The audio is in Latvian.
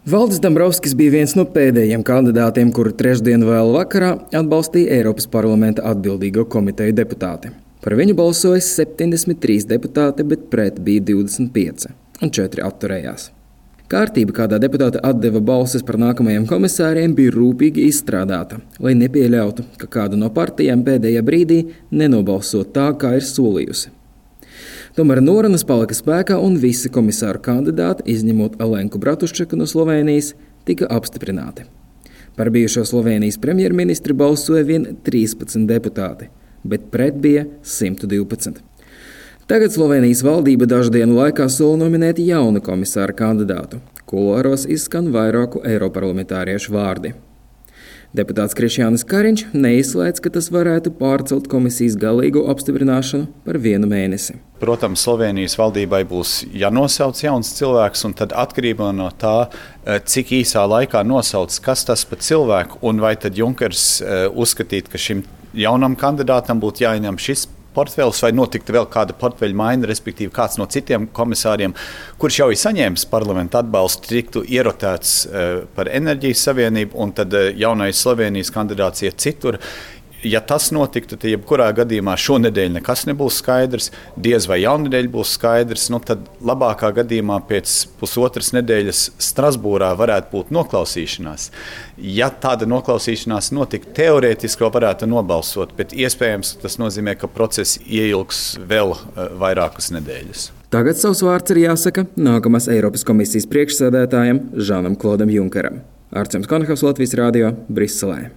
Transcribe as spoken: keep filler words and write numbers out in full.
Valdis Dombrovskis bija viens no pēdējiem kandidātiem, kuru trešdien vēl vakarā atbalstīja Eiropas parlamenta atbildīgo komiteju deputāti. Par viņu balsoja septiņdesmit trīs deputāti, bet pret bija divdesmit pieci, un četri atturējās. Kārtība, kādā deputāte atdeva balsis par nākamajiem komisāriem, bija rūpīgi izstrādāta, lai nepieļautu, ka kāda no partijām pēdējā brīdī nenobalso tā, kā ir solījusi. Tomēr norunas palika spēkā un visi komisāru kandidāti, izņemot Alenku Bratuščaku no Slovēnijas, tika apstiprināti. Par bijušo Slovēnijas premjerministri balsoja vien trīspadsmit deputāti, bet pret bija simt divpadsmit. Tagad Slovēnijas valdība dažu dienu laikā sola nominēt jaunu komisāru kandidātu. Kuloāros izskan vairāku eiroparlamentāriešu vārdi. Deputāts Krišjānis Kariņš neizslēdz, ka tas varētu pārcelt komisijas galīgo apstiprināšanu par vienu mēnesi. Protams, Slovēnijas valdībai būs jānosauc jauns cilvēks, un tad atkarībā no tā, cik īsā laikā nosauc, kas tas par cilvēku, un vai tad Junkers uzskatīt, ka šim jaunam kandidātam būtu jāieņem šis portfels, vai notiktu vēl kāda portfeļa maiņa, respektīvi kāds no citiem komisāriem, kurš jau ir saņēmis parlamentu atbalstu, tiktu ierotēts par enerģijas savienību, un tad jaunais Slovēnijas kandidāts iet citur. Ja tas notiktu, tad jebkurā gadījumā šonedēļ nekas nebūs skaidrs, diez vai jaunedēļ būs skaidrs, nu tad labākā gadījumā pēc pusotras nedēļas Strasbūrā varētu būt noklausīšanās. Ja tāda noklausīšanās notiktu, teorētiski vēl varētu nobalsot, bet iespējams tas nozīmē, ka process ieilgs vēl vairākas nedēļas. Tagad savs vārds ir jāsaka nākamās Eiropas komisijas priekšsēdētājam Žanam Klodam Junkeram. Artsems Konahavs, Latvijas radio, Briselē.